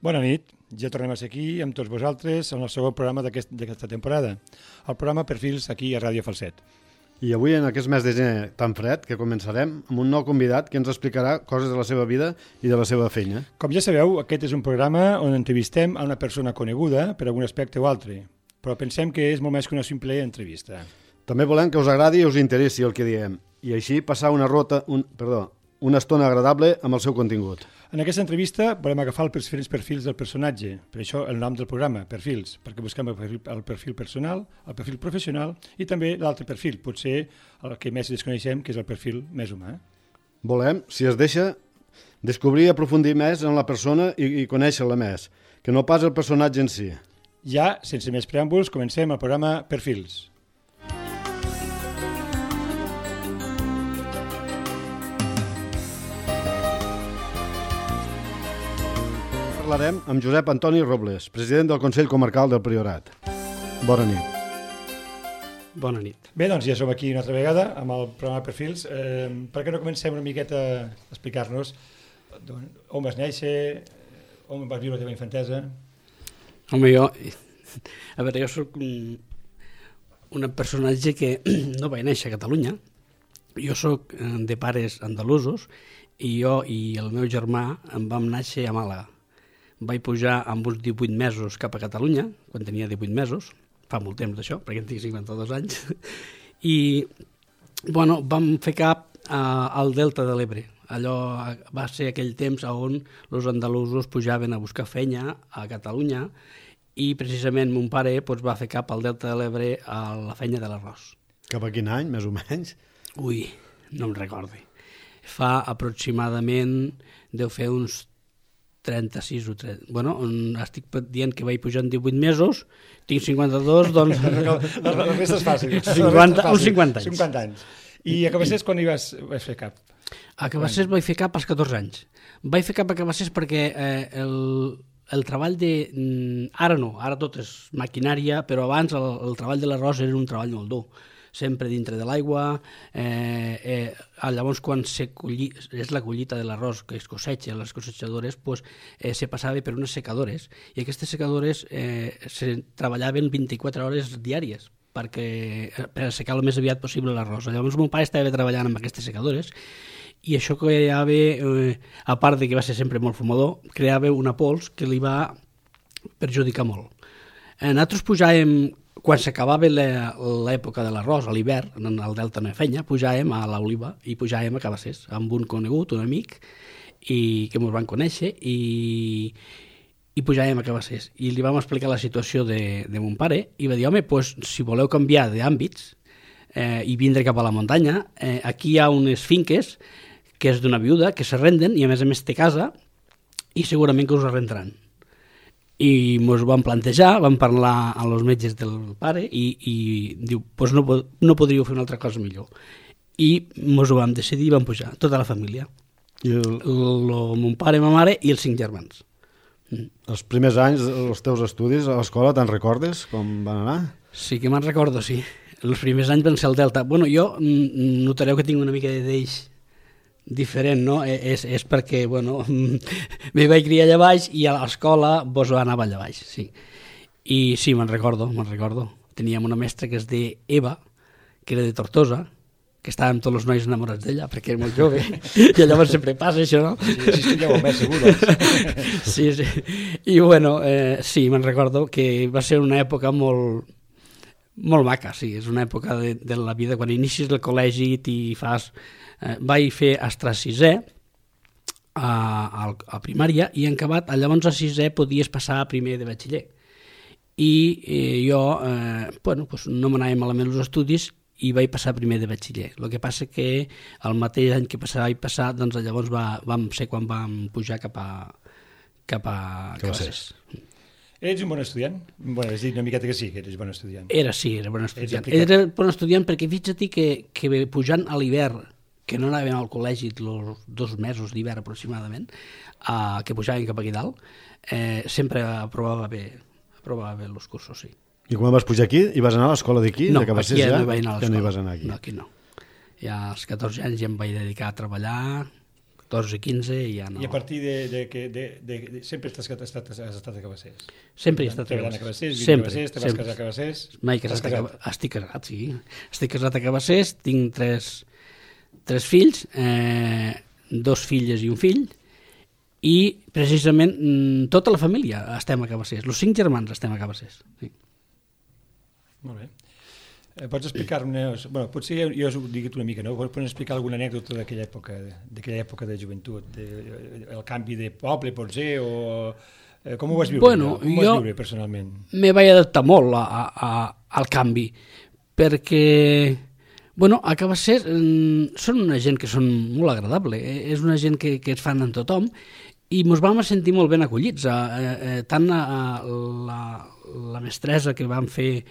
Bona nit, ja tornem a ser aquí amb tots vosaltres en el segon programa d'aquesta temporada, el programa Perfils aquí a Ràdio Falset. I avui, en aquest mes de gener tan fred, que començarem amb un nou convidat que ens explicarà coses de la seva vida i de la seva feina. Com ja sabeu, aquest és un programa on entrevistem a una persona coneguda per algun aspecte o altre, però pensem que és molt més que una simple entrevista. També volem que us agradi i us interessi el que diem, i així passar una estona agradable amb el seu contingut. En aquesta entrevista volem agafar els diferents perfils del personatge, per això el nom del programa, Perfils, perquè busquem el perfil personal, el perfil professional i també l'altre perfil, potser el que més desconeixem, que és el perfil més humà. Volem, si es deixa, descobrir i aprofundir més en la persona i conèixer-la més, que no pas el personatge en si. Ja, sense més preàmbuls, comencem el programa Perfils. Parlarem amb Josep Antoni Robles, president del Consell Comarcal del Priorat. Bona nit. Bona nit. Bé, doncs ja som aquí una altra vegada amb el programa Perfils. Per què no comencem una miqueta a explicar-nos on vas néixer, on vas viure la teva infantesa? Home, jo soc un personatge que no vaig néixer a Catalunya. Jo soc de pares andalusos i jo i el meu germà em vam néixer a Màlaga. Vaig pujar amb uns 18 mesos cap a Catalunya, quan tenia 18 mesos, fa molt temps d'això, perquè en tinc 52 anys, i bueno, vam fer cap al Delta de l'Ebre. Allò va ser aquell temps on els andalusos pujaven a buscar feina a Catalunya i precisament mon pare va fer cap al Delta de l'Ebre a la feina de l'arròs. Cap a quin any, més o menys? Ui, no em recordo. Fa aproximadament, deu fer uns 36 o 30. Bueno, estic dient que vaig pujar en 18 mesos, tinc 52, doncs... La resta és fàcil. Uns 50 anys. 50 anys. I a Cabassers quan hi vas fer cap? A Cabassers vaig fer cap als 14 anys. Vaig fer cap a Cabassers perquè el treball de... Ara no, ara tot és maquinària, però abans el treball de l'arròs era un treball molt dur. Sempre dintre de l'aigua, llavors quan és la collita de l'arròs que es cosecha, les cosechadores, se passava per unes secadores, i aquestes secadores se treballaven 24 hores diàries per assecar el més aviat possible l'arròs. Llavors mon pare estava treballant amb aquestes secadores, i això creava, a part de que va ser sempre molt fumador, creava una pols que li va perjudicar molt. Nosaltres pujàvem, quan s'acabava l'època de l'arròs, a l'hivern, al Delta no hi feia, pujàvem a l'Oliva i pujàvem a Cabassers, amb un conegut, un amic, que ens van conèixer, i pujàvem a Cabassers. I li vam explicar la situació de mon pare, i va dir, home, si voleu canviar d'àmbits i vindre cap a la muntanya, aquí hi ha unes finques que és d'una viuda, que s'arrenden, i a més té casa, i segurament que us arrendaran. I ens ho vam plantejar, vam parlar amb els metges del pare i diu, no podríeu fer una altra cosa millor. I ens ho vam decidir i vam pujar, tota la família. Mon pare, ma mare i els 5 germans. Els primers anys dels teus estudis a l'escola, te'n recordes com van anar? Sí que me'n recordo, sí. Els primers anys van ser al Delta. Bueno, jo notareu que tinc una mica d'eix diferent, no? És perquè, bueno, me vaig criar allà baix i a l'escola anava allà baix, sí. I sí, me'n recordo. Teníem una mestra que es deia Eva, que era de Tortosa, que estàvem tots els nois enamorats d'ella, perquè era molt jove, i llavors sempre passa això, no? Sí, estigueu més segures. Sí. I bueno, sí, me'n recordo que va ser una època molt maca, sí, és una època de la vida, quan inicis el col·legi i fas... Vaig fer hasta 6è a primària i en acabat, llavors a 6è podies passar a primer de batxiller. I jo, no m'anava malament els estudis i vaig passar a primer de batxiller. El que passa que el mateix any que vaig passar, doncs llavors vam ser quan vam pujar cap a Cabassers. Ets un bon estudiant? Bueno, has dit una miqueta que sí, que eres bon estudiant. Era bon estudiant. Era bon estudiant perquè fixa't que pujant a l'hivern, que no anàvem al col·legi els 2 mesos d'hivern aproximadament, que pujàvem cap aquí dalt, sempre aprovava bé els cursos, sí. I quan vas pujar aquí, hi vas anar a l'escola d'aquí? No, aquí ja no vaig anar a l'escola. Ja no hi vas anar aquí. No, aquí no. Ja als 14 anys ja em vaig dedicar a treballar 14, 15 i ja no. I a partir de sempre has estat a Cabassers? Sempre he estat a Treballant a Cabassers. Cabassers, vivint a Cabassers, te vas casar a Cabassers? Mai casat a Cabassers. Estic casat, sí. Estic casat a Cabassers, tinc tres fills, 2 filles i un fill, i precisament tota la família estem a Cabassers. Els 5 germans estem a Cabassers. Sí. Molt bé. Pots explicar-me, potser jo us ho dic una mica, no? Pots explicar alguna anècdota d'aquella època de joventut, el canvi de poble, potser, o com ho vas viure? Bueno, com ho vas viure personalment? Me vaig adaptar molt al canvi, perquè a Cabassers són una gent que són molt agradable, és una gent que es fan amb tothom, i ens vam sentir molt ben acollits, tant la mestressa que van fer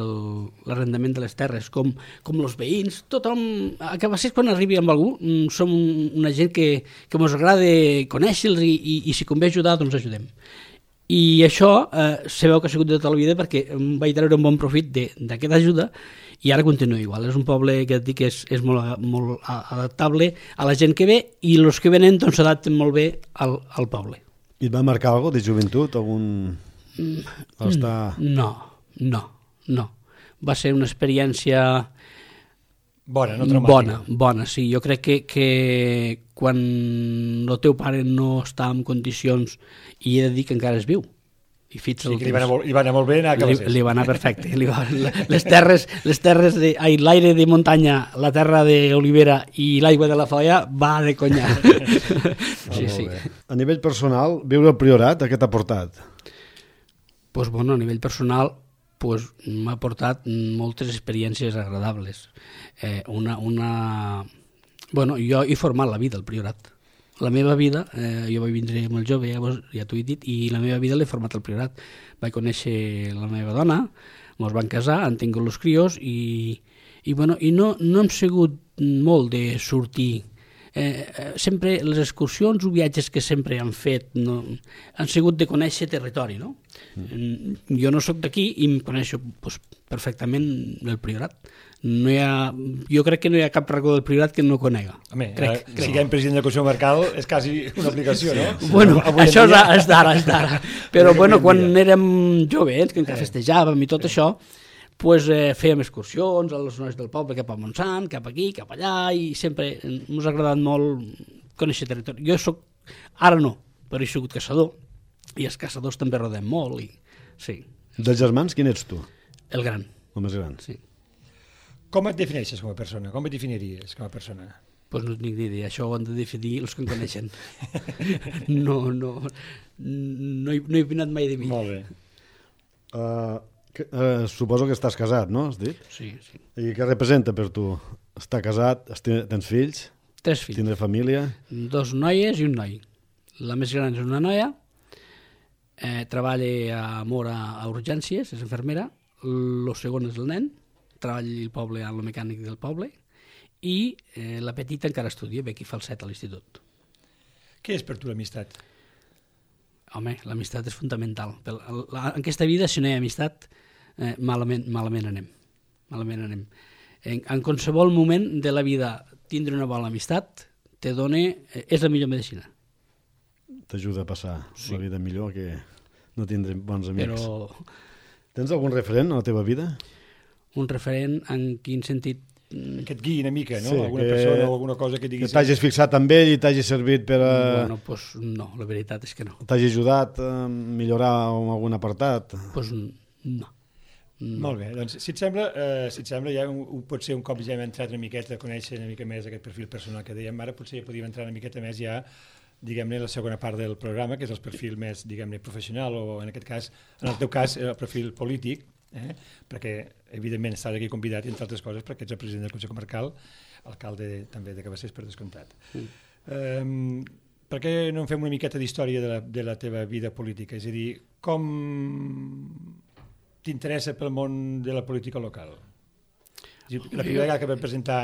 l'arrendament de les terres, com els veïns, tothom, a Cabassers quan arribi amb algú, som una gent que ens agrada conèixer-los i si convé ajudar, doncs ajudem. I això sabeu que ha sigut de tota la vida perquè em vaig treure un bon profit d'aquesta ajuda i ara continua igual. És un poble que et dic que és molt adaptable a la gent que ve i els que venen doncs s'adapten molt bé al poble. I et va marcar alguna cosa de joventut? Algun... No. Va ser una experiència bona, no traumàtica. Bona, sí. Jo crec que quan el teu pare no està en condicions, i he de dir que encara es viu, i sí, que li va anar molt bé anar a Cabassers. Li va anar perfecte. Les terres l'aire de muntanya, la terra d'olivera i l'aigua de la Foia va de conya. Sí. A nivell personal, viure al Priorat, què t'ha portat? Pues a nivell personal m'ha portat moltes experiències agradables. Jo he format la vida al Priorat. La meva vida, jo vaig vindre molt jove, ja t'ho he dit, i la meva vida l'he format al Priorat. Vaig conèixer la meva dona, ens van casar, han tingut els crios i no hem sigut molt de sortir. Sempre les excursions o viatges que sempre han fet han sigut de conèixer territori, no? Jo no sóc d'aquí i em coneixo perfectament el Priorat. Jo crec que no hi ha cap racó del Priorat que no conega. Home, siguem president del Consell Comarcal és quasi una aplicació, no? Bueno, això és d'ara. Però quan érem joves, que encara festejàvem i tot això, fèiem excursions a les zones del poble, cap a Montsant, cap aquí, cap allà, i sempre ens ha agradat molt conèixer territori. Jo soc, ara no, però he sigut caçador, i els caçadors també rodem molt, i sí. Dels germans, quin ets tu? El gran. El més gran. Sí. Com et defineixes com a persona? Com et definiries com a persona? Doncs no tinc ni idea, això ho han de definir els que em coneixen. No he opinat mai de mi. Molt bé. Suposo que estàs casat, no? Has dit? Sí. I què representa per tu? Estar casat, tens fills? 3 fills. Tindre família? 2 noies i un noi. La més gran és una noia, treballa a Mora a urgències, és infermera. El segon és el nen, treballa al poble, al mecànic del poble, i la petita encara estudia, ve aquí fa el 7 a l'institut. Què és per tu l'amistat? Home, l'amistat és fundamental. En aquesta vida, si no hi ha amistat, malament anem. En qualsevol moment de la vida tindre una bona amistat és la millor medicina. T'ajuda a passar la vida millor que no tindre bons amics. Tens algun referent a la teva vida? Un referent en quin sentit? Que et guiï una mica, no? Sí, alguna persona o alguna cosa que diguis... Que t'hagis fixat amb ell i t'hagi servit per a... No, la veritat és que no. T'hagi ajudat a millorar en algun apartat? No. Molt bé, doncs si et sembla ja potser un cop ja hem entrat una miqueta a conèixer una mica més aquest perfil personal que dèiem ara, potser ja podríem entrar una miqueta més ja, diguem-ne, la segona part del programa, que és el perfil més, diguem-ne, professional o en aquest cas, en el teu cas, el perfil polític, perquè evidentment estàs aquí convidat i entre altres coses perquè ets el president del Consell Comarcal, alcalde també de Cabassers per descomptat. Per què no en fem una miqueta d'història de la teva vida política? És a dir, com t'interessa pel món de la política local? La primera vegada que vam presentar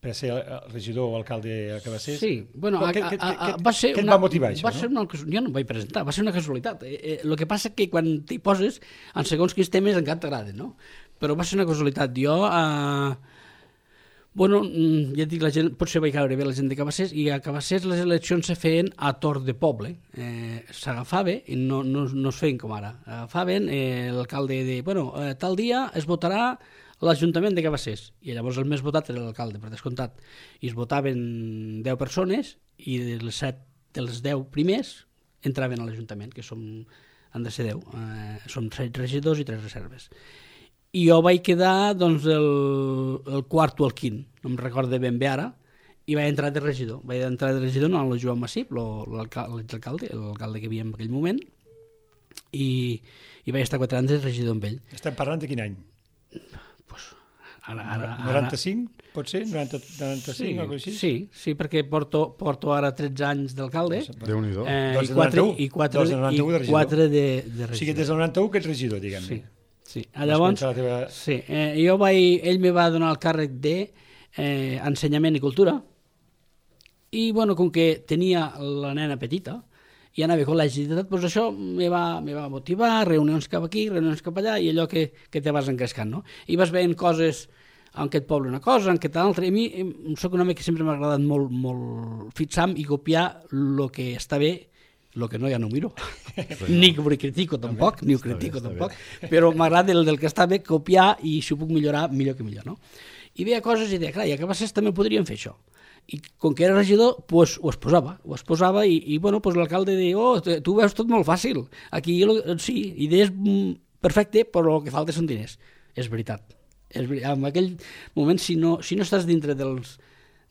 per ser regidor o alcalde a Cabassers. Sí, bueno, què et va motivar això? Jo no em vaig presentar, va ser una casualitat. El que passa que quan t'hi poses, en segons quins temes encara t'agraden, no? Però va ser una casualitat. Jo Bueno, ja et dic, la gent, potser vaig caure bé la gent de Cabassers, i a Cabassers les eleccions se feien a torn de poble. S'agafava, i no es feien com ara. Agafaven l'alcalde de, tal dia es votarà l'Ajuntament de Cabassers, i llavors el més votat era l'alcalde, per descomptat. I es votaven 10 persones, i dels 10 primers entraven a l'Ajuntament, que han de ser 10. Som 7 regidors i 3 reserves. I jo vaig quedar el quart o el quint, no em recordo ben bé ara, i vaig entrar de regidor. Vaig entrar de regidor no, el Joan Massip, l'alcalde que hi havia en aquell moment, i vaig estar 4 anys de regidor amb ell. Estem parlant de quin any? Pues, ara, 95, pot ser? 95 o així? Sí, perquè porto ara 13 anys d'alcalde. Déu-n'hi-do. I 4 de regidor. O sigui, des del 91 que ets regidor, diguem-ne. Sí. Llavors, ell me va donar el càrrec d'ensenyament i cultura, i com que tenia la nena petita i anava a col·legi i tot, doncs això me va motivar, reunions cap aquí, reunions cap allà, i allò que te vas encrescant, no? I vas veient coses en aquest poble una cosa, en aquest altre. A mi soc un home que sempre m'ha agradat molt fixar i copiar el que està bé. El que no ja no miro, ni ho critico tampoc, però m'agrada el que està bé copiar, i si ho puc millorar, millor que millor, no? I veia coses i deia, clar, i a Cabassers també podríem fer això. I com que era regidor, ho exposava, i l'alcalde deia, tu veus tot molt fàcil, aquí sí, idees perfecte, però el que falta són diners. És veritat. En aquell moment, si no estàs dintre dels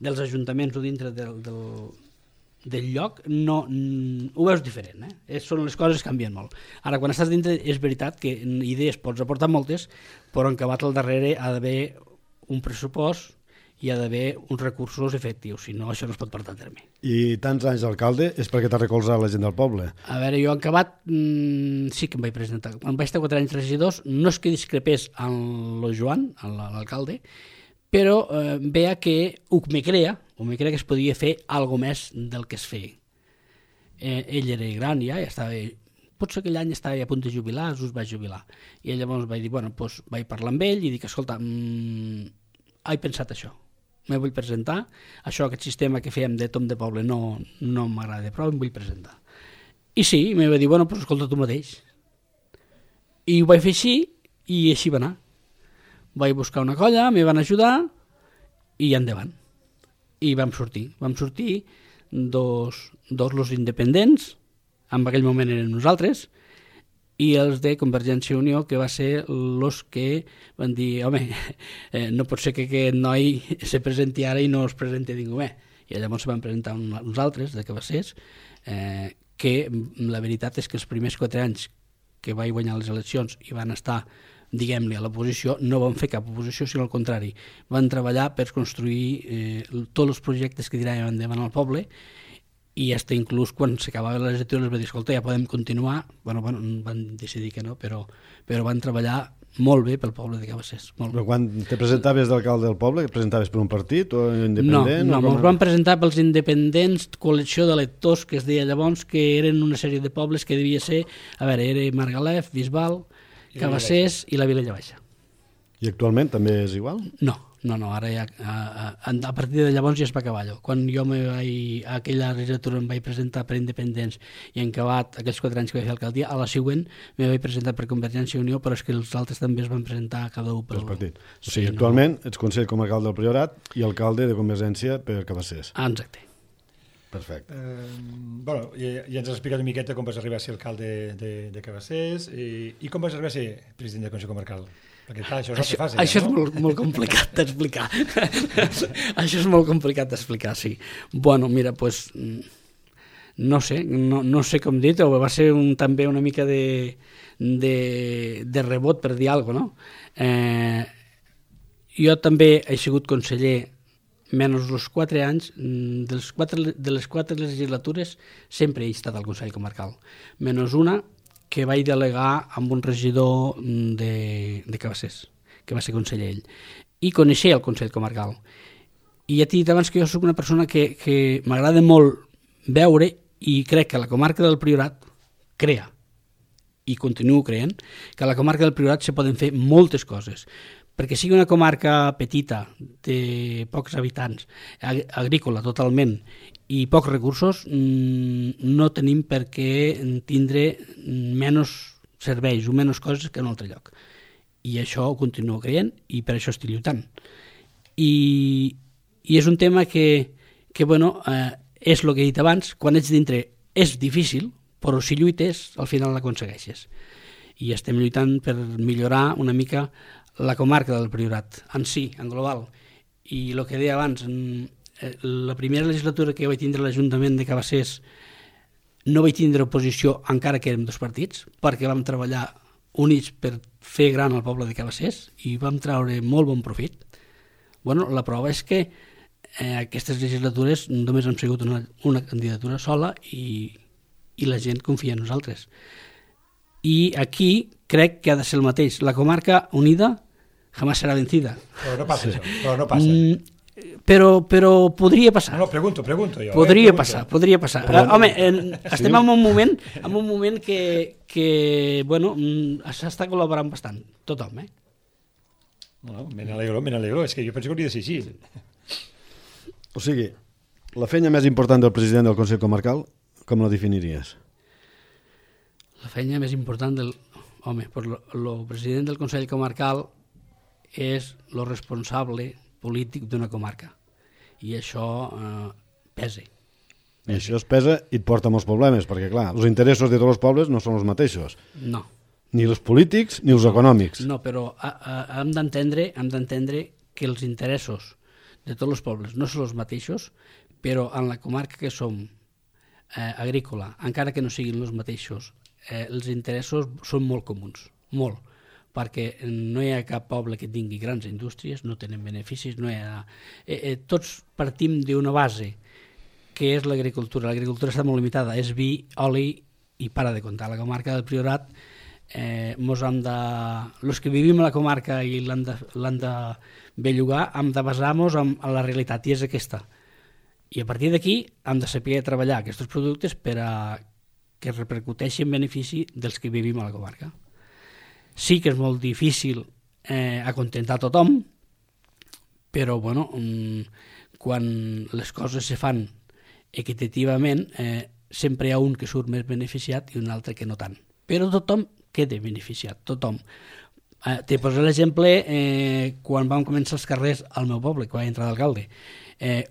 ajuntaments o dintre del lloc, no ho veus diferent, són les coses que canvien molt. Ara, quan estàs dintre, és veritat que idees pots aportar moltes, però en acabat al darrere ha d'haver un pressupost i ha d'haver uns recursos efectius, si no això no es pot portar a terme. I tants anys d'alcalde és perquè t'ha recolzat la gent del poble? A veure, jo en acabat sí que em vaig presentar. Quan vaig estar 4 anys regidors, no és que discrepés amb el Joan, l'alcalde, però veia que ho me crea que es podia fer alguna més del que es feia. Ell era gran ja estava, potser aquell any estava a punt de jubilar, us vaig jubilar. I llavors vaig dir, vaig parlar amb ell i dic, escolta, he pensat això, me vull presentar, aquest sistema que fèiem de tom de poble no m'agrada prou, em vull presentar. I sí, me va dir, escolta tu mateix. I ho vaig fer així, i així va anar. Vaig buscar una colla, me van ajudar, i endavant. I vam sortir dos los independents, en aquell moment eren nosaltres, i els de Convergència i Unió, que va ser els que van dir, home, no pot ser que aquest noi se presenti ara i no es presenti ningú més. I llavors se van presentar uns altres de Cabassers, que la veritat és que els primers 4 anys que vaig guanyar les eleccions i van estar, diguem-ne, a l'oposició, no van fer cap oposició, sinó al contrari. Van treballar per construir tots els projectes que tiraven endavant al poble, i fins inclús quan s'acabava la legislatura els va dir, escolta, ja podem continuar. Van decidir que no, però van treballar molt bé pel poble de Cabassers. Però quan te presentaves d'alcalde del poble, presentaves per un partit o independent? No, ens van presentar pels independents, col·lecció d'electors, que es deia llavors, que eren una sèrie de pobles que devia ser, era Margalef, Bisbal, Cabassers i la Vilella Baixa. I actualment també és igual? No, ara ja, a partir de llavors ja es va acabar allò. Quan jo a aquella legislatura em vaig presentar per independents i en acabat aquells 4 anys que vaig fer alcaldia, a la següent me vaig presentar per Convergència i Unió, però és que els altres també es van presentar cada un pel partit. O sigui, actualment ets consell com a alcalde del Priorat i alcalde de Convergència per Cabassers. Exacte. Perfecte. Ja ens has explicat una miqueta com vas arribar a ser alcalde de Cabassers i com vas arribar a ser president del Consell Comarcal. Perquè clar, això és el que fas. Això és molt complicat d'explicar. Això és molt complicat d'explicar, sí. Mira, no sé com dir-ho, va ser també una mica de rebot, per dir alguna cosa, no? Jo també he sigut conseller menys els 4 anys, de les 4 legislatures sempre he estat al Consell Comarcal, menys una que vaig delegar amb un regidor de Cabassers, que va ser conseller ell, i coneixia el Consell Comarcal. I ja t'he dit abans que jo soc una persona que m'agrada molt veure, i crec que la comarca del Priorat crea, i continuo creient, que a la comarca del Priorat se poden fer moltes coses. perquè sigui una comarca petita, de pocs habitants, agrícola totalment, i pocs recursos, no tenim per què tindre menys serveis o menys coses que en un altre lloc. I això ho continuo creient i per això estic lluitant. I és un tema que bueno, és el que he dit abans, quan ets dintre és difícil, però si lluites al final l'aconsegueixes. I estem lluitant per millorar una mica la comarca del Priorat, en si, en global. I el que deia abans, la primera legislatura que vaig tindre a l'Ajuntament de Cabassers no vaig tindre oposició encara que érem dos partits, perquè vam treballar units per fer gran el poble de Cabassers i vam treure molt bon profit. Bueno, la prova és que aquestes legislatures només han sigut una candidatura sola i la gent confia en nosaltres. I aquí crec que ha de ser el mateix. La comarca unida jamás serà vencida. Però no passa això, però no passa. Però podria passar. No, pregunto jo. Podria passar. Home, estem en un moment que bueno, s'està col·laborant bastant, tothom, No, me n'alegro, és que jo penso que hauria de ser així. O sigui, la feina més important del president del Consell Comarcal, com la definiries? La feina més important del... Home, el president del Consell Comarcal és el responsable polític d'una comarca. I això pesa. I això es pesa i et porta molts problemes, perquè clar, els interessos de tots els pobles no són els mateixos. No. Ni els polítics ni els econòmics. No, però hem d'entendre que els interessos de tots els pobles no són els mateixos, però en la comarca que som agrícola, encara que no siguin els mateixos, els interessos són molt comuns, molt, perquè no hi ha cap poble que tingui grans indústries, no tenen beneficis, no hi ha... tots partim d'una base que és l'agricultura. L'agricultura està molt limitada, és vi, oli i para de comptar. La comarca del Priorat, els que vivim a la comarca i l'han de bellugar, hem de basar-nos en la realitat, i és aquesta. I a partir d'aquí hem de saber treballar aquests productes per a que repercuteixin en benefici dels que vivim a la comarca. Sí que és molt difícil acontentar tothom, però bueno, quan les coses se fan equitativament, sempre hi ha un que surt més beneficiat i un altre que no tant. Però tothom queda beneficiat, tothom. Te poso l'exemple quan vam començar els carrers al meu poble, quan vaig entrar d'alcalde.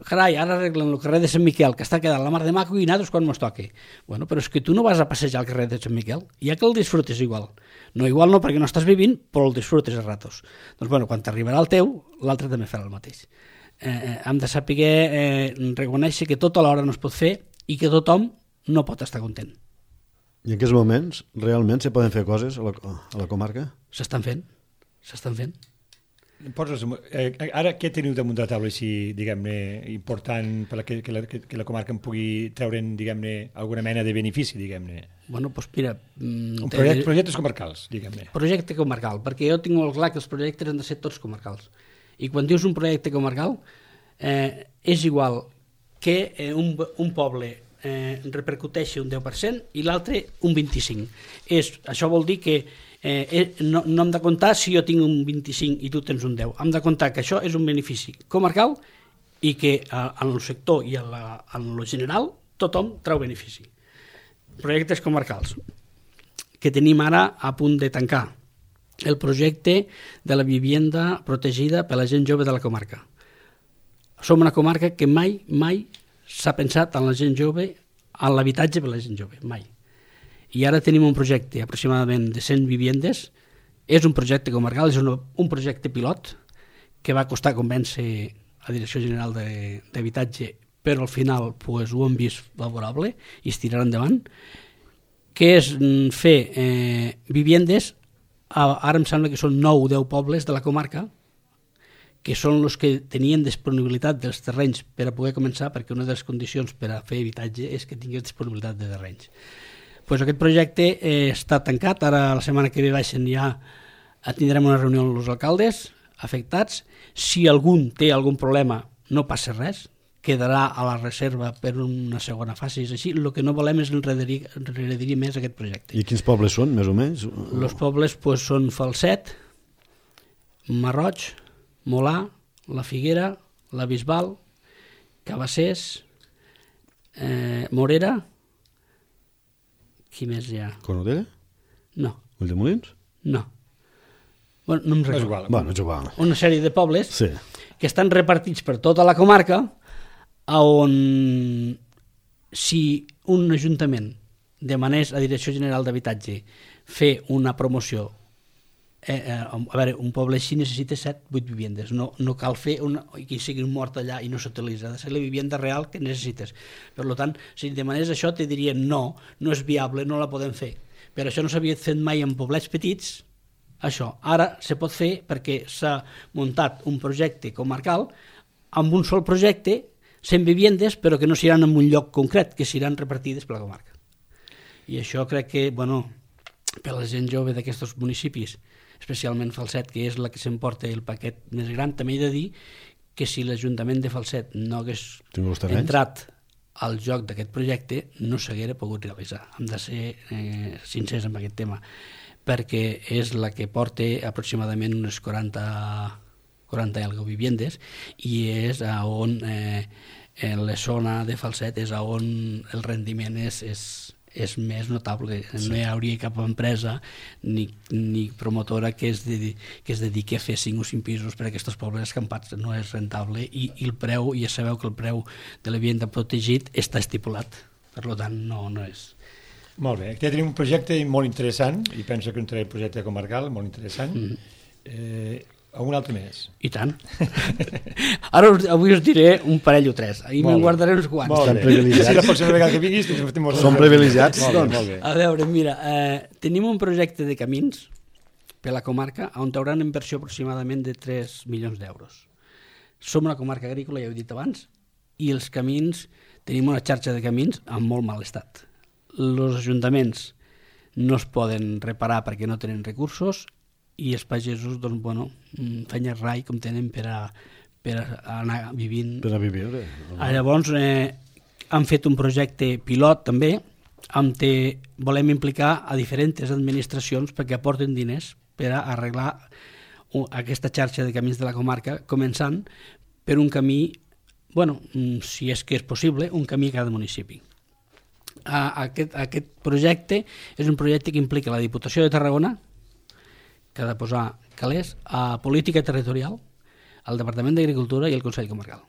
Carai, ara arreglen el carrer de Sant Miquel, que està quedant la mar de maco, i nosaltres quan mos toque. Bueno, però és que tu no vas a passejar al carrer de Sant Miquel, ja que el disfrutes igual. No igual no, perquè no estàs vivint, però el disfrutes a ratos. Doncs bueno, quan t'arribarà el teu, l'altre també farà el mateix. Hem de saber reconèixer que tot alhora no es pot fer i que tothom no pot estar content. I en aquests moments realment se poden fer coses a la comarca? S'estan fent. Ara què teniu damunt de la taula així, diguem-ne, important perquè que la comarca en pugui treure'n, diguem-ne, alguna mena de benefici, diguem-ne? Bueno, doncs mira... Projectes comarcals, diguem-ne. Projecte comarcal, perquè jo tinc molt clar que els projectes han de ser tots comarcals. I quan dius un projecte comarcal, és igual que un poble repercuteixi un 10% i l'altre un 25%. Això vol dir que no hem de comptar si jo tinc un 25 i tu tens un 10. Hem de comptar que això és un benefici comarcal i que en el sector i en el general tothom treu benefici. Projectes comarcals que tenim ara a punt de tancar. El projecte de la vivienda protegida per la gent jove de la comarca. Som una comarca que mai s'ha pensat en la gent jove, en l'habitatge per la gent jove, mai. I ara tenim un projecte aproximadament de 100 viviendes. És un projecte comarcal, és un projecte pilot que va costar convèncer a la Direcció General d'Habitatge, però al final pues, ho hem vist favorable i es tirarà endavant, que és fer viviendes, ara em sembla que són 9 o 10 pobles de la comarca, que són els que tenien disponibilitat dels terrenys per a poder començar, perquè una de les condicions per a fer habitatge és que tingués disponibilitat de terrenys. Pues aquest projecte està tancat, ara la setmana que ve ja tindrem una reunió amb els alcaldes afectats. Si algun té algun problema, no passa res, quedarà a la reserva per una segona fase, és així. El que no volem és enrederir més aquest projecte. I quins pobles són, més o menys? Els pobles pues, són Falset, Marroig, Molà, la Figuera, la Bisbal, Cabassers, Morera, qui més hi ha? Cornudella? No. Ulldemolins? No. Bueno, no em recordo. És igual. Bueno, és igual. Una sèrie de pobles Sí. que estan repartits per tota la comarca, on si un ajuntament demanés a Direcció General d'Habitatge fer una promoció, a veure, un poble així necessita 7-8 vivendes, no cal fer que sigui mort allà i no s'utilitza, ha de ser la vivenda real que necessites. Per tant, si demanés això te dirien no és viable, no la podem fer. Per això no s'havia fet mai en poblets petits, això. Ara se pot fer perquè s'ha muntat un projecte comarcal amb un sol projecte, 100 vivendes, però que no seran en un lloc concret, que seran repartides per la comarca. I això crec que, per la gent jove d'aquests municipis, especialment Falset, que és la que s'emporta el paquet més gran, també he de dir que si l'Ajuntament de Falset no hagués entrat al joc d'aquest projecte, no s'haguera pogut realitzar. Hem de ser sincers amb aquest tema, perquè és la que porta aproximadament unes 40 i algo vivendes, i és on en la zona de Falset és on el rendiment és més notable. Sí. No hi hauria cap empresa ni promotora que es dediqui a fer 5 o 5 pisos per a aquests pobles escampats. No és rentable i el preu, ja sabeu que el preu de la vivenda protegit està estipulat, per tant no és. Molt bé, aquí tenim un projecte molt interessant, i penso que un projecte comarcal molt interessant. Algun altre més? I tant. Ara avui us diré un parell o 3, i me'n guardaré uns quants. Estan privilegiats. Si la pròxima vegada que vinguis... Som privilegiats, doncs. A veure, mira, tenim un projecte de camins per la comarca on hauran inversió aproximadament de 3 milions d'euros. Som una comarca agrícola, ja ho he dit abans, i els camins, tenim una xarxa de camins en molt mal estat. Els ajuntaments no es poden reparar perquè no tenen recursos, i els pagesos, feien rai com tenen per anar vivint. Per a viure. Llavors, han fet un projecte pilot també, on volem implicar a diferents administracions perquè aporten diners per a arreglar aquesta xarxa de camins de la comarca, començant per un camí, si és que és possible, un camí a cada municipi. Aquest projecte és un projecte que implica la Diputació de Tarragona, que ha de posar calés, a Política Territorial, al Departament d'Agricultura i al Consell Comarcal.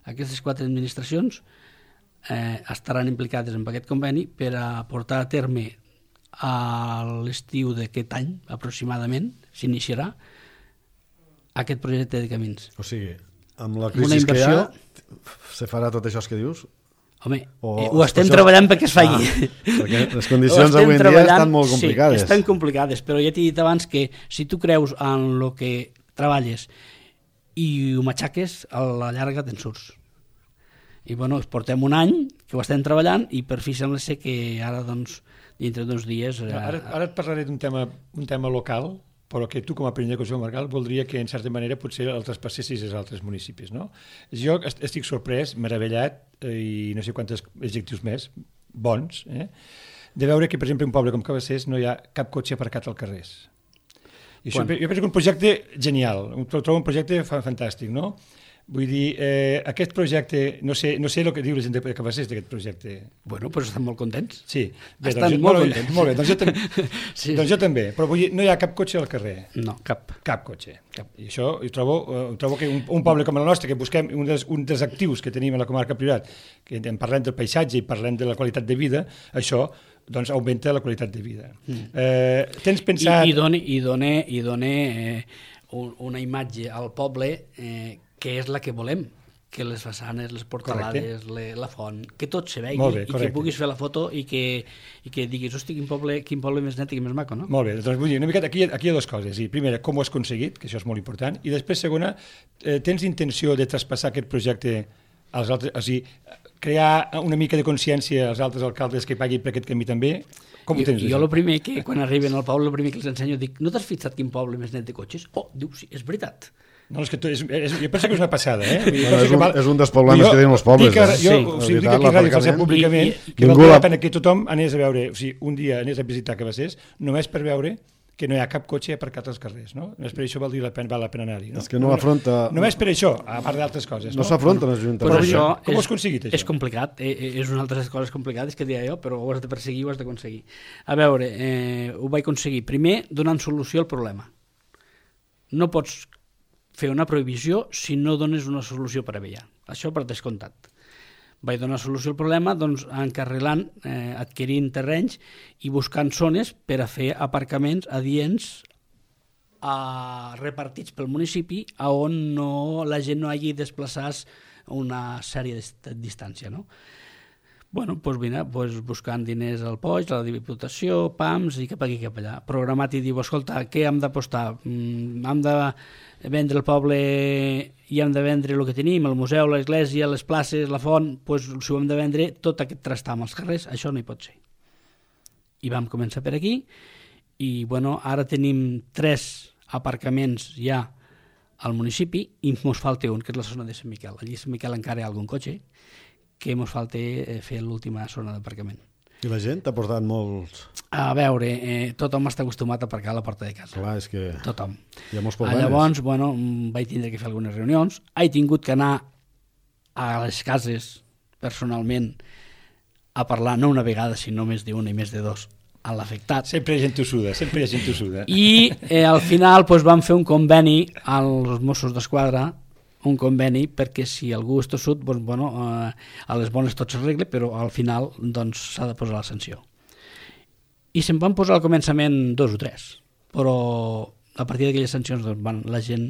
Aquestes 4 administracions estaran implicades en aquest conveni per a portar a terme a l'estiu d'aquest any, aproximadament, s'iniciarà aquest projecte de camins. O sigui, amb la crisi que hi ha, se farà tot això que dius? Home, ho estem treballant perquè es faci. Perquè les condicions avui en dia estan molt complicades. Sí, estan complicades, però ja t'he dit abans que si tu creus en el que treballes i ho matxaques, a la llarga te'n surts. I portem un any que ho estem treballant i per fi sembla ser que ara, dintre d'uns dies... Ara et parlaré d'un tema local, però que tu com a president de Consell Comarcal voldria que en certa manera potser el traspassessis als altres municipis, no? Jo estic sorprès, meravellat, i no sé quants adjectius més, bons, de veure que, per exemple, un poble com Cabassers no hi ha cap cotxe aparcat als carrers. I això, jo penso que un projecte genial, trobo un projecte fantàstic, no? Vull dir, aquest projecte, no sé el que diu la gent de Cabassers d'aquest projecte. Bueno, però estan molt contents. Sí. Estan molt contents. Molt bé, doncs jo també. Però vull dir, no hi ha cap cotxe al carrer. No, cap. Cap cotxe. I això trobo que un poble com el nostre, que busquem un dels actius que tenim a la comarca Priorat, que parlem del paisatge i parlem de la qualitat de vida, això augmenta la qualitat de vida. Tens pensat... I dona una imatge al poble que és la que volem, que les façanes, les portalades, la font, que tot se vegi i que puguis fer la foto i que diguis, hosti, quin poble més net i més maco, no? Molt bé, doncs vull dir, una miqueta, aquí hi ha dues coses. Primera, com ho has aconseguit, que això és molt important, i després, segona, tens intenció de traspassar aquest projecte als altres, o sigui, crear una mica de consciència als altres alcaldes que paguin per aquest camí també? Com ho tens? Jo el primer que, quan arriben al poble, el primer que els ensenyo, dic, no t'has fixat quin poble més net de cotxes? Oh, diu, sí, és veritat. No, és que jo penso que és una passada, és un dels problemes que tenen els pobles. Jo dic aquí a Ràdio Falset públicament que val la pena que tothom anés a veure, un dia anés a visitar Cabassers, només per veure que no hi ha cap cotxe aparcat als carrers, no? Només per això val la pena anar-hi, no? És que no afronta... Només per això, a part d'altres coses, no? No s'afronten els Pues ajuntaments. això Com ho has aconseguit, això? És complicat, és una altra de les coses complicades que deia jo, però ho has de perseguir, ho has d'aconseguir. A veure, ho vaig aconseguir. Primer, donant solució al problema. No pots fer una prohibició si no dones una solució prèvia. Això per descomptat. Vaig donar solució al problema doncs, encarrilant, adquirint terrenys i buscant zones per a fer aparcaments adients repartits pel municipi a on la gent no hagi desplaçat una sèrie de distància, no? Bueno, doncs mira, buscant diners al POIG, a la Diputació, PAMS i cap aquí cap allà. Programat i diu, escolta, què hem d'apostar? Hem de vendre el poble i hem de vendre el que tenim, el museu, l'església, les places, la font, doncs si ho hem de vendre, tot aquest trastam als carrers, això no hi pot ser. I vam començar per aquí i bueno, ara tenim 3 aparcaments ja al municipi i ens falta un, que és la zona de Sant Miquel. Allí a Sant Miquel encara hi ha algun cotxe que ens falta fer l'última zona d'aparcament. I la gent ha portat molts... A veure, tothom està acostumat a aparcar a la porta de casa. Clar, és que Tothom. hi ha molts problemes. Llavors, bueno, vaig tindre que fer algunes reunions. He tingut que anar a les cases personalment a parlar, no una vegada, sinó més d'una i més de 2, a l'afectat. Sempre hi ha gent tossuda, sempre hi ha gent tossuda. I al final vam fer un conveni als Mossos d'Esquadra, un conveni perquè si algú és tossut, doncs, bueno, a les bones tot s'arregla, però al final doncs, s'ha de posar la sanció. I se'n van posar al començament 2 o 3, però a partir d'aquelles sancions doncs, la gent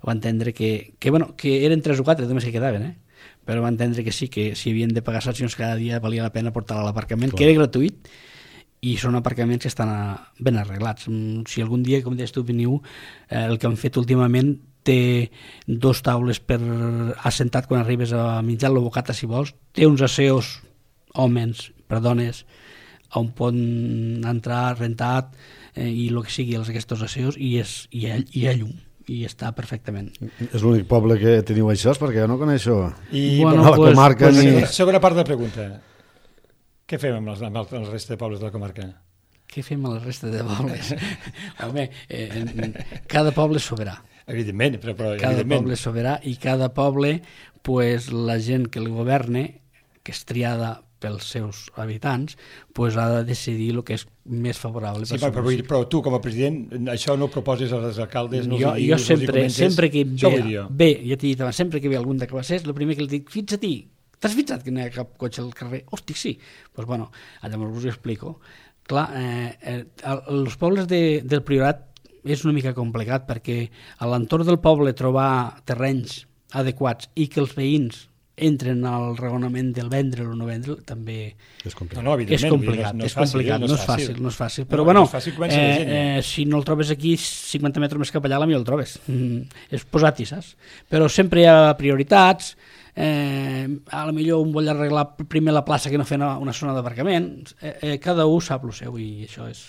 va entendre que eren 3 o 4 només que quedaven, però va entendre que sí, que si havien de pagar sancions cada dia valia la pena portar a l'aparcament, que era gratuït, i són aparcaments que estan ben arreglats. Si algun dia, com deies tu, veniu, el que han fet últimament té 2 taules per assentat quan arribes a menjar la bocata si vols, té uns aseos homes per dones on poden entrar rentat i el que sigui aquests aseos i hi ha llum i està perfectament. És l'únic poble que teniu això, perquè jo no coneixo I la comarca ni... Segona part de la pregunta. Què fem amb la resta de pobles de la comarca? Què fem a la resta de pobles? Home, cada poble és soberà. Evidentment, però cada poble és soberà i cada poble, pues, la gent que el governa, que és triada pels seus habitants, pues, ha de decidir el que és més favorable. Sí, però tu, com a president, això no ho proposes als alcaldes? No jo sempre que ve, ja t'he dit abans, sempre que ve algun de Cabassers, el primer que li dic, fixa-t'hi, t'has fixat que no hi ha cap cotxe al carrer? Hosti, sí. Doncs bueno, llavors us ho explico. Clar, els pobles del Priorat és una mica complicat perquè a l'entorn del poble trobar terrenys adequats i que els veïns entren al raonament del vendre o no vendre també és complicat. És complicat, no és fàcil. Però bueno, si no el trobes aquí 50 metres més cap allà, potser el trobes. És posat-hi, saps? Però sempre hi ha prioritats, a lo millor un vol arreglar primer la plaça que no fer una zona d'aparcament. Cada un sap el seu i això és...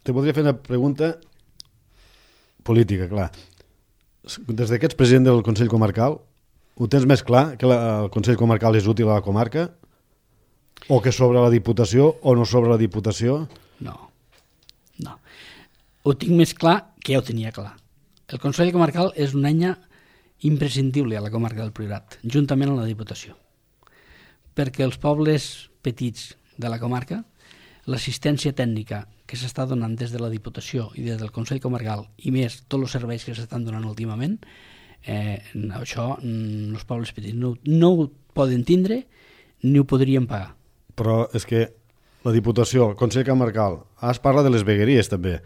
Te voldria fer una pregunta política, clar. Des que ets president del Consell Comarcal, ho tens més clar que el Consell Comarcal és útil a la comarca? O que sobre la Diputació o no sobre la Diputació? No. Ho tinc més clar que ja ho tenia clar. El Consell Comarcal és una eina imprescindible a la comarca del Priorat, juntament amb la Diputació. Perquè els pobles petits de la comarca, l'assistència tècnica que s'està donant des de la Diputació i des del Consell Comarcal i més tots els serveis que s'estan donant últimament, això els pobles petits no ho poden tindre ni ho podrien pagar. Però és que la Diputació, el Consell Comarcal, es parla de les vegueries també.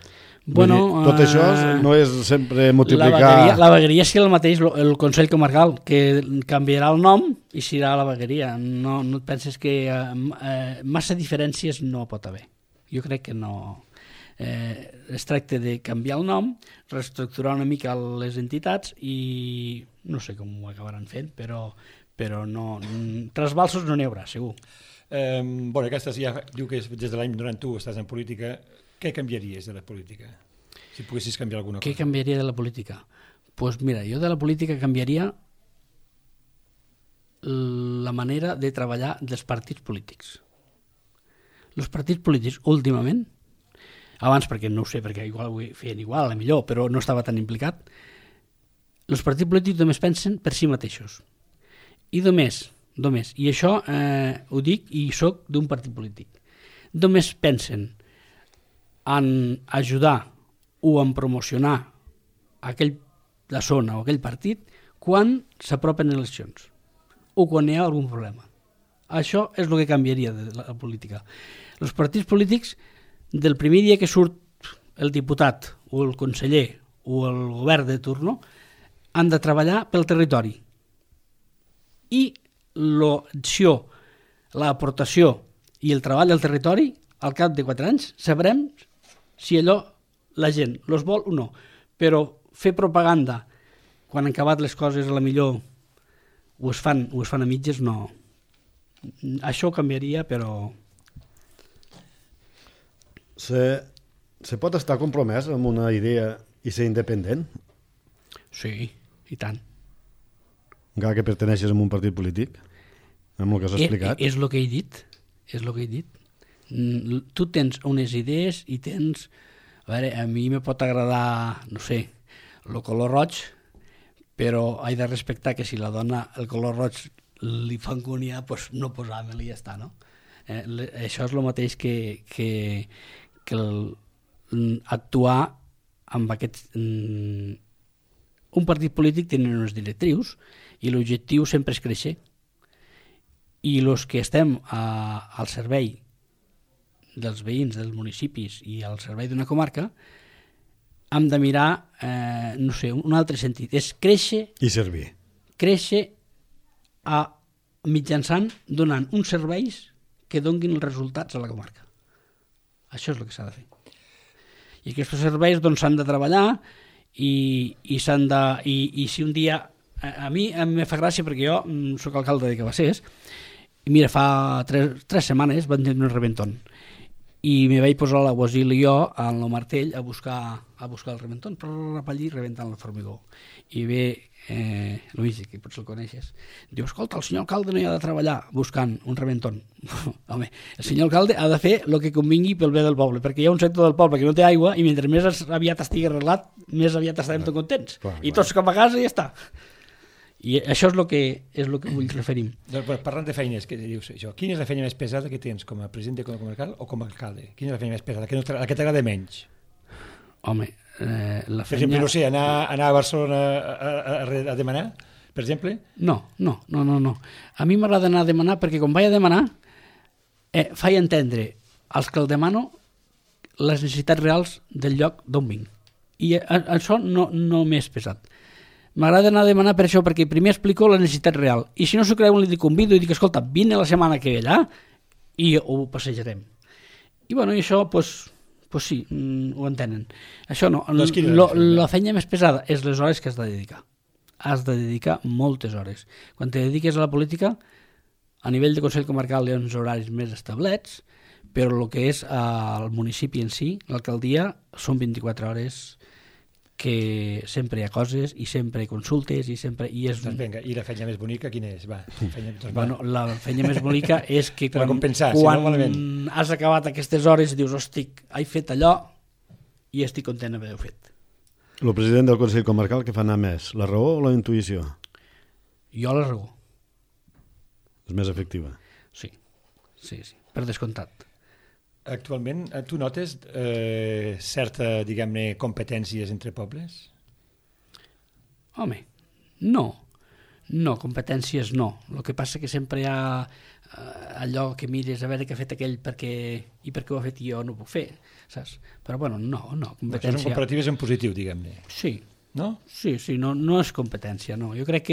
Bueno, tot això no és sempre multiplicar... La vegueria és el mateix, el Consell Comarcal, que canviarà el nom i serà la vegueria. No et penses que massa diferències no pot haver. Jo crec que no. Es tracta de canviar el nom, reestructurar una mica les entitats i no sé com ho acabaran fent, però no, trasbalsos no n'hi haurà, segur. Aquesta ja diu que des de l'any 91 estàs en política. Què canviaries de la política? Si poguessis canviar alguna cosa. Què canviaria de la política? Doncs mira, jo de la política canviaria la manera de treballar dels partits polítics. Els partits polítics últimament abans perquè no ho sé, perquè igual ho feien igual, a la millor, però no estava tan implicat, els partits polítics només pensen per si mateixos. I només, i això ho dic i soc d'un partit polític, només pensen en ajudar o en promocionar la zona o aquell partit quan s'apropen eleccions o quan hi ha algun problema. Això és el que canviaria de la política. Els partits polítics, del primer dia que surt el diputat o el conseller o el govern de turno, han de treballar pel territori. I l'acció, l'aportació i el treball al territori, al cap de 4 anys, sabrem si allò la gent els vol o no. Però fer propaganda quan han acabat les coses a la millor ho es fan a mitges, no. Això ho canviaria, però... Se pot estar compromès amb una idea i ser independent? Sí, i tant. Encara que perteneixes a un partit polític? Amb el que has explicat? És el que he dit. Tu tens unes idees i tens... A veure, a mi me pot agradar, no sé, el color roig, però he de respectar que si la dona el color roig li fa angúnia, doncs no posar-me-li i ja està, no? Això és el mateix que actuar amb aquest... Un partit polític tenen unes directrius i l'objectiu sempre és créixer. I els que estem al servei dels veïns, dels municipis i al servei d'una comarca, hem de mirar, no sé, un altre sentit. És créixer... I servir. Créixer mitjançant donant uns serveis que donguin els resultats a la comarca. Això és el que s'ha de fer. I aquests serveis doncs s'han de treballar i s'han de... I si un dia... A mi em fa gràcia perquè jo soc alcalde de Cabassers i mira, fa 3 setmanes van tenir un reventón i me vaig posar a la Guasil i jo amb el martell a buscar el reventón, però allí rebentant el formigó. I ve Luigi, que potser el coneixes, diu, escolta, el senyor alcalde no hi ha de treballar buscant un reventón. Home, el senyor alcalde ha de fer el que convingui pel bé del poble, perquè hi ha un sector del poble que no té aigua i mentre més aviat estigui arreglat, més aviat estarem tots contents. I tots cap a casa i ja està. I això és el que vull referir. Doncs, parlant de feines, què dius això? Quina és la feina més pesada que tens com a president de comarcal o com a alcalde? Quina és la feina més pesada? La que t'agrada menys? Home, la feina... Per exemple, no sé, anar a Barcelona a demanar, per exemple? No. A mi m'agrada anar a demanar perquè quan vaig a demanar faig entendre als que el demano les necessitats reals del lloc d'on vinc. I això no m'és pesat. M'agrada anar a demanar per això, perquè primer explico la necessitat real. I si no s'ho creuen, li convido i dic, escolta, vine la setmana que ve allà i ho passejarem. I bueno, i això, pues sí, ho entenen. Això no. La feina més pesada és les hores que has de dedicar. Has de dedicar moltes hores. Quan te dediques a la política, a nivell de Consell Comarcal hi ha uns horaris més establets, però el que és al municipi en si, l'alcaldia, són 24 hores que sempre hi ha coses i sempre hi ha consultes i sempre... Doncs vinga, i la feina més bonica quina és? Va, bueno, la feina més bonica és que quan has acabat aquestes hores dius, hosti, he fet allò i estic content d'haver-ho fet. El president del Consell Comarcal, què fa anar més, la raó o la intuïció? Jo la raó. És més efectiva? Sí, per descomptat. Actualment, tu notes certa, diguem-ne, competències entre pobles? Home, no, competències no. El que passa que sempre hi ha allò que mires a veure què ha fet aquell i per què ho ha fet i jo no ho puc fer, saps? Però bueno, no, competència... Això són comparatives en positiu, diguem-ne. Sí. No? Sí, no és competència, no. Jo crec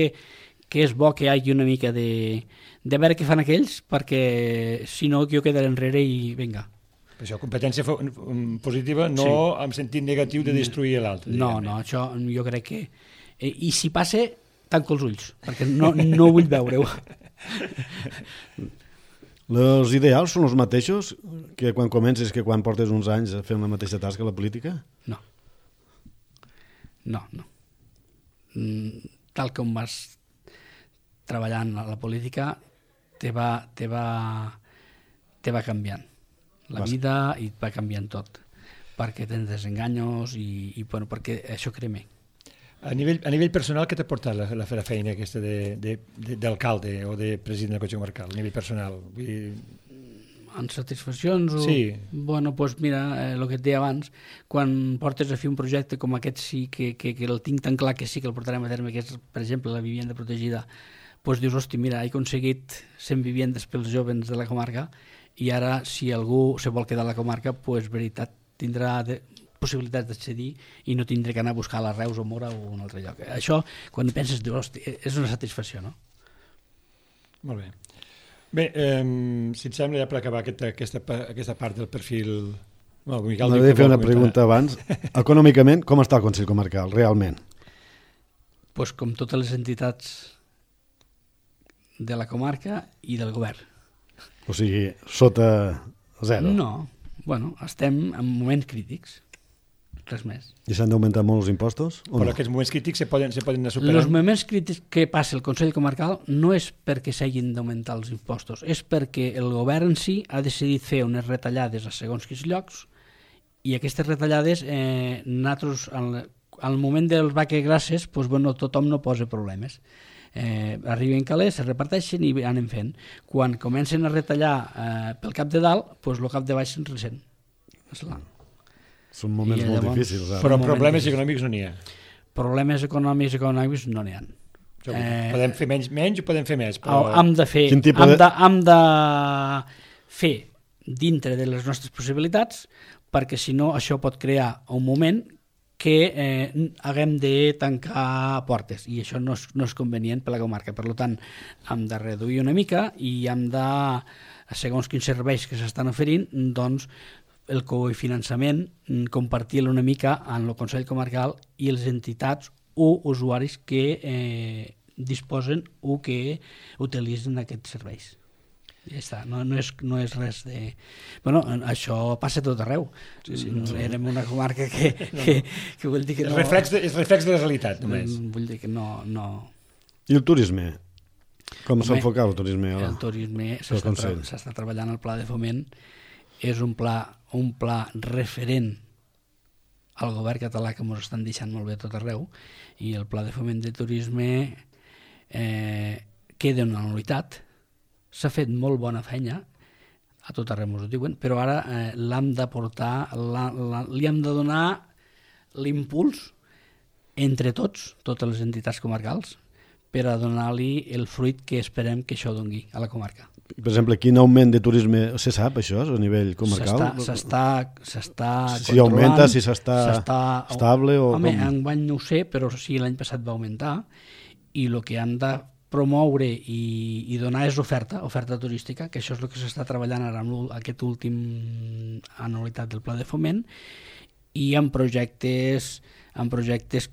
que és bo que hi hagi una mica de veure què fan aquells, perquè si no jo quedaré enrere i vinga. Per això, competència positiva, no en sentit negatiu de destruir l'altre. No, això jo crec que... I si passa, tanco els ulls, perquè no vull veure-ho. Els ideals són els mateixos que quan comences, que quan portes uns anys a fer la mateixa tasca a la política? No. Tal com vas treballant a la política, te va canviant. La vida i et va canviant tot. perquè tens desenganyos i bueno, perquè això creme. A nivell personal, què t'ha portat la feina aquesta d'alcalde o de president del Consell Comarcal, a nivell personal? Vull dir... En satisfaccions? Sí. Bueno, doncs mira, el que et deia abans, quan portes a fer un projecte com aquest sí que el tinc tan clar que sí que el portarem a terme, que és, per exemple, la vivenda protegida, doncs dius, hosti, mira, he aconseguit 100 vivendes pels joves de la comarca i ara, si algú se vol quedar a la comarca, doncs, veritat, tindrà possibilitats d'accedir i no tindré que anar a buscar a la Reus o Mora o un altre lloc. Això, quan penses, dius, hosti, és una satisfacció, no? Molt bé. Bé, si et sembla, ja per acabar aquesta part del perfil... M'agradaria fer una pregunta abans. Econòmicament, com està el Consell Comarcal, realment? Doncs com totes les entitats de la comarca i del govern. O sigui, sota zero? No, bueno, estem en moments crítics, res més. I s'han d'augmentar molt els impostos? Però aquests moments crítics se poden anar superant? Els moments crítics que passa el Consell Comarcal no és perquè s'hagin d'augmentar els impostos, és perquè el govern en si ha decidit fer unes retallades a segons quins llocs i aquestes retallades, nosaltres, al moment dels vaquegrasses, doncs, bueno, tothom no posa problemes. Arriben calés, se reparteixen i anem fent. Quan comencen a retallar pel cap de dalt, doncs el cap de baix se'n ressent. Són moments molt difícils. Però problemes econòmics no n'hi ha. Problemes econòmics no n'hi ha. Podem fer menys o podem fer més? Però... Hem de fer dintre de les nostres possibilitats, perquè si no això pot crear un moment que haguem de tancar portes i això no és convenient per la comarca. Per tant, hem de reduir una mica i hem de, segons quins serveis que s'estan oferint, doncs el cofinançament, compartir-lo una mica en el Consell Comarcal i les entitats o usuaris que disposen o que utilitzen aquests serveis. Ja està, no és res de... Bueno, això passa tot arreu. Sí, érem una comarca que vull dir que no... És reflex de la realitat, només. Vull dir que no... I el turisme? Com s'enfoca el turisme? El turisme s'està treballant al pla de foment. És un pla referent al govern català que ens estan deixant molt bé tot arreu i el pla de foment de turisme queda una anualitat. S'ha fet molt bona feina, a tot arreu ens ho diuen, però ara l'hem de portar, li hem de donar l'impuls entre totes les entitats comarcals, per a donar-li el fruit que esperem que això doni a la comarca. Per exemple, quin augment de turisme se sap, això, a nivell comarcal? S'està si augmenta, si s'està estable o... Home, enguany no ho sé, però sí, l'any passat va augmentar i el que han de promoure i donar és oferta turística, que això és el que s'està treballant ara amb aquest últim anualitat del pla de foment i amb projectes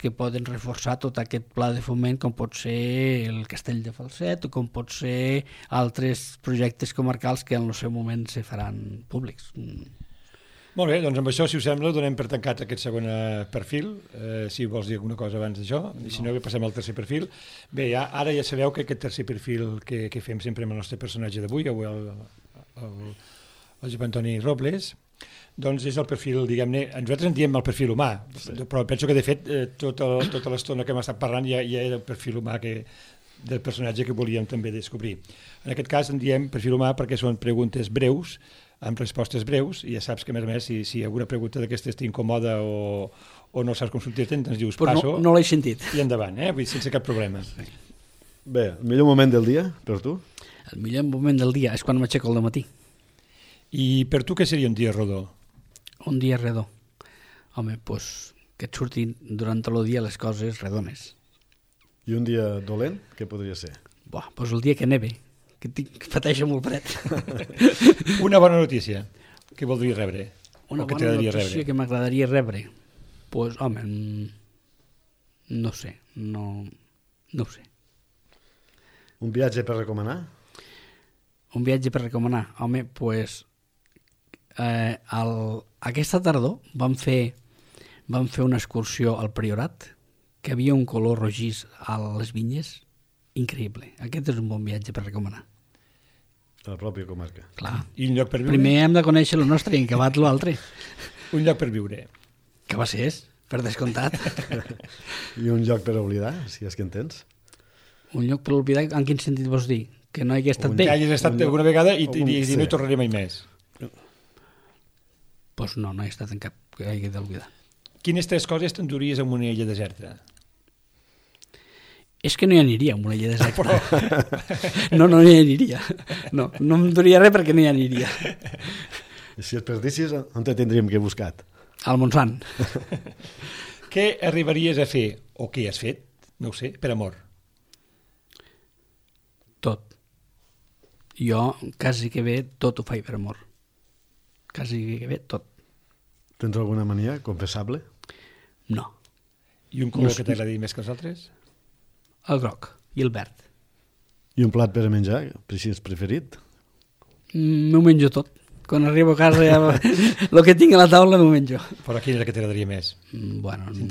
que poden reforçar tot aquest pla de foment, com pot ser el Castell de Falset o com pot ser altres projectes comarcals que en el seu moment se faran públics. Molt bé, doncs amb això, si us sembla, donem per tancat aquest segon perfil, si vols dir alguna cosa abans d'això, i si no, passem al tercer perfil. Bé, ara ja sabeu que aquest tercer perfil que fem sempre amb el nostre personatge d'avui, el Josep Antoni Robles, doncs és el perfil, diguem-ne, nosaltres en diem el perfil humà, però penso que de fet tota l'estona que hem estat parlant ja era el perfil humà del personatge que volíem també descobrir. En aquest cas en diem perfil humà perquè són preguntes breus, amb respostes breus, i ja saps que a més si alguna pregunta d'aquestes t'incomoda o no saps com sortir-te'n, doncs dius passo no l'he sentit i endavant, vull dir, sense cap problema. Bé, el millor moment del dia per tu? El millor moment del dia és quan m'aixeco al matí. I per tu què seria un dia rodó? Un dia redó. Home, doncs que et surtin durant tot el dia les coses redones. I un dia dolent, què podria ser? Doncs el dia que neve, que pateixo molt fred. Una bona notícia que voldries rebre? Una bona notícia que m'agradaria rebre? Doncs, home, no sé, no ho sé. Un viatge per recomanar? Un viatge per recomanar? Home, doncs aquesta tardor vam fer una excursió al Priorat, que havia un color rogís a les vinyes increïble. Aquest és un bon viatge per recomanar. A la pròpia comarca. Clar. I un lloc per viure? Primer hem de conèixer el nostre i en acabat l'altre. Un lloc per viure. Cabassers, per descomptat. I un lloc per oblidar, si és que en tens. Un lloc per oblidar, en quin sentit vols dir? Que no hagi estat Que bé? hagis estat alguna vegada i Sí. no hi tornaré mai més. Doncs no he estat en cap que hagi d'oblidar. Quines 3 coses t'enduries en una illa deserta? És que no hi aniria amb una illa deserta. No hi aniria. No em duria res perquè no hi aniria. I si es perdissis, on te tindríem que buscar? Al Montsant. Què arribaries a fer, o què has fet, no ho sé, per amor? Tot. Jo, quasi que bé, tot ho faig per amor. Quasi que bé, tot. Tens alguna mania confessable? No. I un color que t'agradi més que els altres? El groc i el verd. I un plat per a menjar, si és preferit? M'ho menjo tot. Quan arribo a casa ja el que tinc a la taula m'ho menjo. Però quin és el que t'agradaria més? Bueno, Si en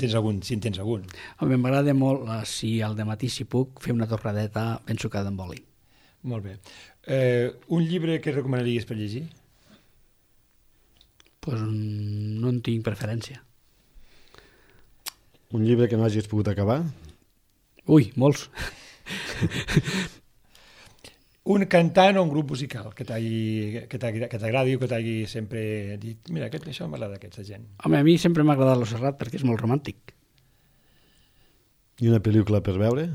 tens algun. home, m'agrada molt, si al dematí si puc, fer una torradeta ben sucada amb oli. Molt bé. Un llibre que recomanaries per llegir? Pues no en tinc preferència. Un llibre que no hagis pogut acabar? Ui, molts. Un cantant o un grup musical que t'agradi o que t'hagi sempre dit mira, això m'agrada aquesta gent. Home, a mi sempre m'ha agradat lo Serrat perquè és molt romàntic. I una pel·lícula per veure?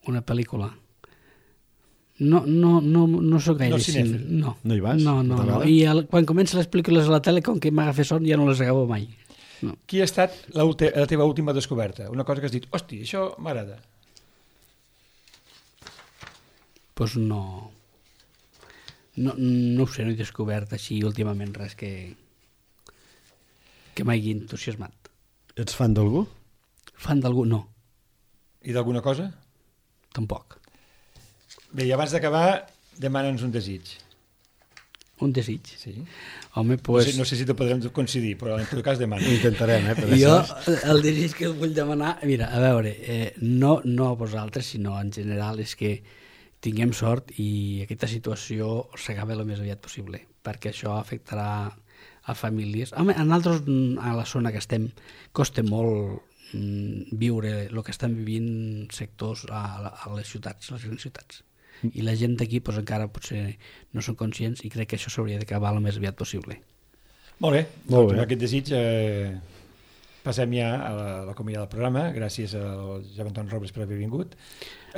Una pel·lícula. No soc gaire No cinèfil. No. No hi vas? No. T'agrada? I quan comencen les pel·lícules a la tele, com que m'agafa son, ja no les acabo mai. No. Qui ha estat la teva última descoberta? Una cosa que has dit, hosti, això m'agrada. Pues no ho sé, no he descobert així últimament res que m'hagi entusiasmat. Ets fan d'algú? Fan d'algú? No, I d'alguna cosa? tampoc. Bé, i abans d'acabar, demana'ns un desig. Un desig. Sí. Home, pues... No sé si te podrem coincidir, però en tot cas demana. Ho intentarem, per Jo, això. el desig que vull demanar, mira, a veure, no a vosaltres, sinó en general, és que tinguem sort i aquesta situació s'acabi el més aviat possible, perquè això afectarà a famílies. Home, a nosaltres, a la zona que estem, costa molt viure el que estan vivint sectors a les ciutats, les grans ciutats. I la gent d'aquí pues, encara potser no són conscients i crec que això s'hauria d'acabar el més aviat possible. Molt bé, Molt bé. Amb aquest desig passem ja a la comiada del programa. Gràcies al Jaume Anton Robles per haver vingut.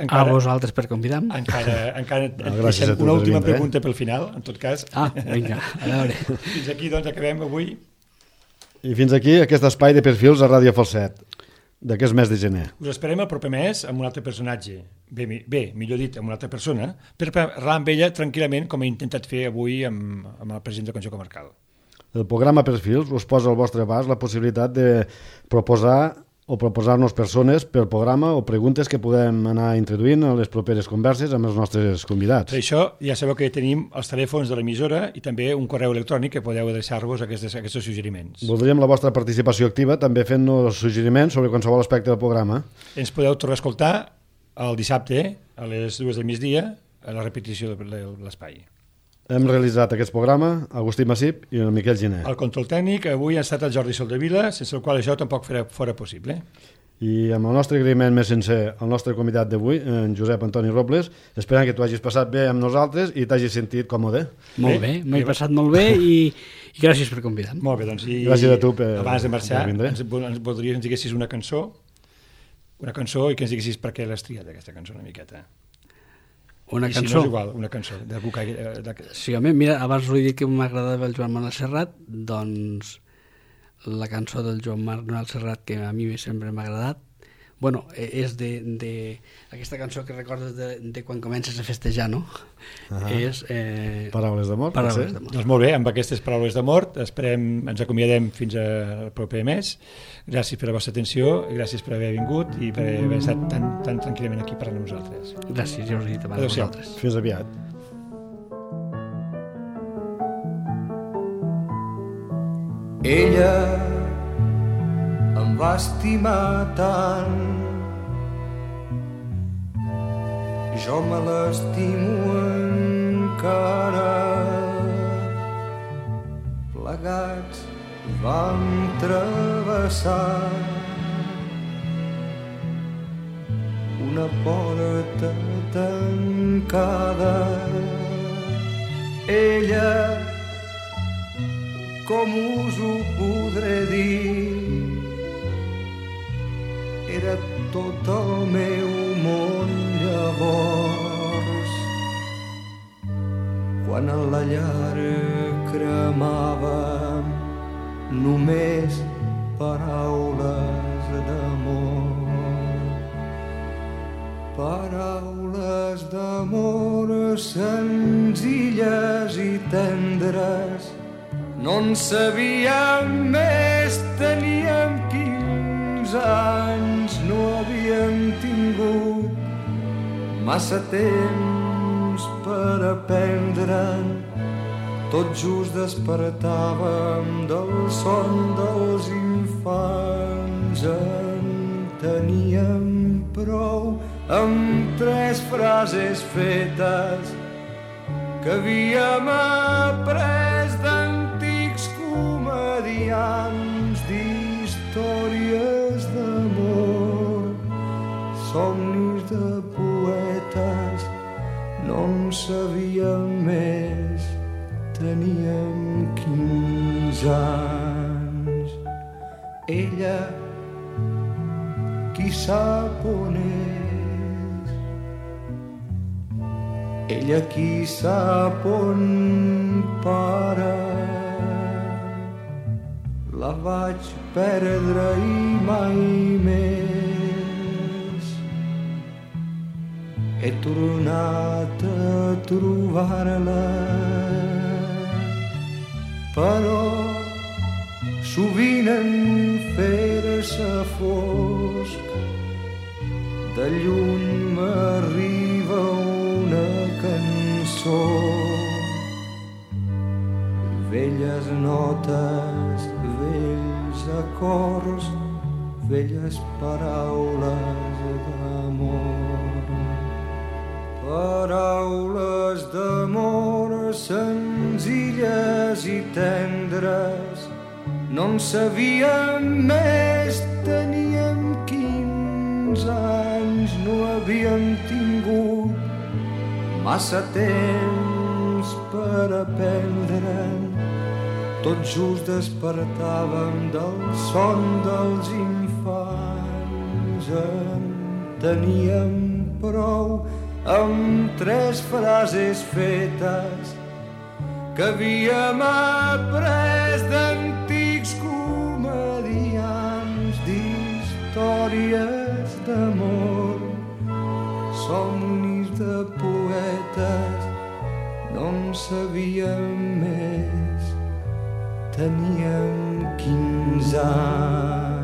A vosaltres per convidar-me. Encara gràcies a tu una per última vindre, pregunta pel final, en tot cas. Vinga, a veure. Fins aquí doncs acabem avui. I fins aquí aquest espai de perfils a Ràdio Falset d'aquest mes de gener. Us esperem el proper mes amb un altre personatge, bé, millor dit, amb una altra persona, per parlar amb ella tranquil·lament, com he intentat fer avui amb el president del Consell Comarcal. El programa Perfils us posa al vostre abast la possibilitat de proposar-nos persones per programa o preguntes que podem anar introduint a les properes converses amb els nostres convidats. Per això ja sabeu que tenim els telèfons de l'emissora i també un correu electrònic que podeu adreçar-vos a aquests suggeriments. Voldríem la vostra participació activa també fent-nos suggeriments sobre qualsevol aspecte del programa. Ens podeu tornar a escoltar el dissabte a les 2 del migdia a la repetició de l'espai. Hem realitzat aquest programa Agustí Massip i el Miquel Giner. El control tècnic avui ha estat el Jordi Soldevila, sense el qual això tampoc fora possible. I amb el nostre agraïment més sincer al nostre convidat d'avui, en Josep Antoni Robles, esperant que tu hagis passat bé amb nosaltres i t'hagis sentit còmode. Molt bé, m'he passat molt bé i gràcies per convidar-me. Molt bé, doncs i Gràcies a tu per abans de marxar vindre. ens diguessis una cançó i que ens diguessis per què l'has triat aquesta cançó una miqueta. Una I si cançó. no és igual, una cançó d'algú que... Sí, home, mira, abans us he dit que m'agradava el Joan Manuel Serrat, doncs la cançó del Joan Manuel Serrat que a mi sempre m'ha agradat, bueno, és aquesta cançó que recordes de quan comences a festejar, no? És... Paraules d'amor. Paraules d'amor. Doncs molt bé, amb aquestes paraules d'amor ens acomiadem fins al proper mes. Gràcies per la vostra atenció, gràcies per haver vingut i per haver estat tan tranquil·lament aquí parlant amb nosaltres. Gràcies, ja us he dit abans a Adéu-siau. vosaltres. Fins aviat. Ella em va estimar tant, jo me l'estimo encara. plegats vam travessar una porta tancada. Ella, com us ho podré dir, era tot el meu món llavors. Quan a la llar cremàvem només paraules d'amor. Paraules d'amor senzilles i tendres. No en sabíem més, teníem 15 anys, no havíem tingut massa temps per aprendre'n. Tot just despertàvem del son dels infants. En teníem prou amb 3 frases fetes que havíem après d'antics comediants, d'històries d'amor, somnis de poetes. No en sabíem més, teníem 15 anys. Ella, qui sap on és? Ella, qui sap on para? La vaig perdre i mai més he tornat a trobar-la. Però sovint en fer-se fosc de lluny m'arriba una cançó, velles notes, vells acords, velles paraules d'amor. Paraules d'amor senzilles i tendres. No en sabíem més, teníem 15 anys, no havíem tingut massa temps per aprendre'n. Tot just despertàvem del son dels infants. En teníem prou amb 3 frases fetes que havíem après d'antics comediants, d'històries d'amor, somnis de poetes. No en sabíem més, teníem 15 anys.